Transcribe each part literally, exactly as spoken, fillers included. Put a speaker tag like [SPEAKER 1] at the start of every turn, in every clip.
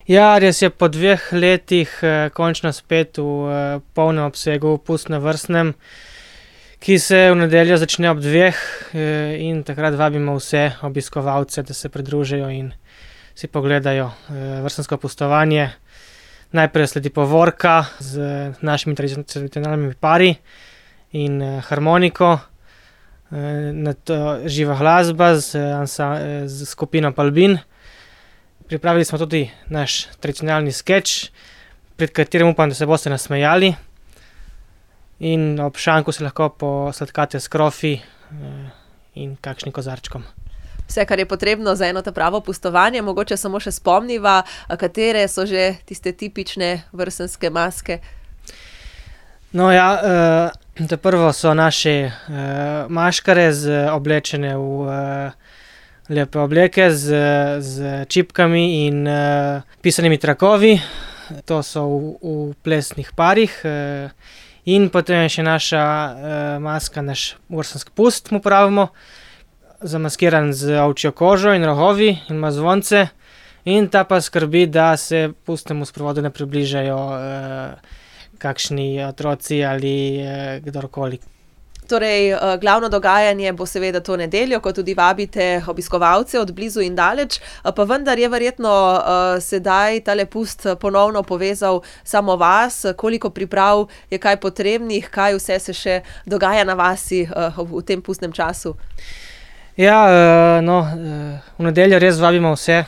[SPEAKER 1] Ja, res je, po dveh letih končno spet v polnem obsegu pust na Vrstnem, ki se v nedeljo začne ob dveh, in takrat vabimo vse obiskovalce, da se pridružijo in si pogledajo vrstnsko pustovanje. Najprej sledi povorka z našimi tradicionalnimi pari in harmoniko, nato živa glasba z z skupino Palbin. Pripravili smo tudi naš tradicionalni skeč, pred katerim upam, da se boste nasmejali. In ob šanku se lahko posladkate s krofi in kakšnim kozarčkom.
[SPEAKER 2] Vse, kar je potrebno za eno ta pravo pustovanje, mogoče samo še spomniva, katere so že tiste tipične vrstnske maske?
[SPEAKER 1] No, ja, ta prvo so naše maškare z oblečene v lepe obleke z, z čipkami in pisanimi trakovi. To so v, v plesnih parih. In potem je še naša maska, naš vrstnski pust, mu pravimo, zamaskiran z ovčjo kožo in rogovi in ima zvonce. In ta pa skrbi, da se pustnemu sprovodu ne približajo kakšni otroci ali kdorkoli.
[SPEAKER 2] Torej, glavno dogajanje bo seveda to nedeljo, ko tudi vabite obiskovalce od blizu in daleč, pa vendar je verjetno sedaj tale pust ponovno povezal samo vas. Koliko priprav je kaj potrebnih, kaj vse se še dogaja na vasi v tem pustnem času?
[SPEAKER 1] Ja, no, v nedeljo res vabimo vse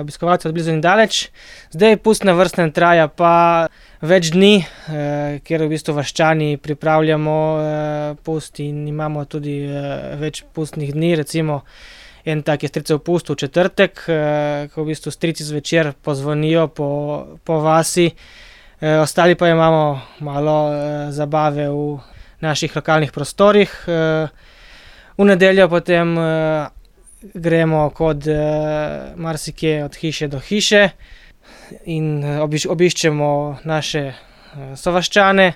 [SPEAKER 1] obiskovalce od blizu in daleč. Zdaj pust na Vrstnem traja pa več dni, kjer v bistvu vaščani pripravljamo pust in imamo tudi več pustnih dni, recimo en tak je stricev pust v četrtek, ko v bistvu strici zvečer pozvonijo po, po vasi. Ostali pa imamo malo zabave v naših lokalnih prostorih. V nedeljo potem gremo kot marsikje od hiše do hiše in obiščemo naše sovaščane.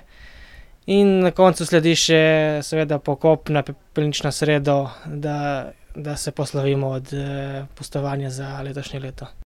[SPEAKER 1] In na koncu sledi še seveda pokop na pepelnično sredo, da, da se poslovimo od pustovanja za letošnje leto.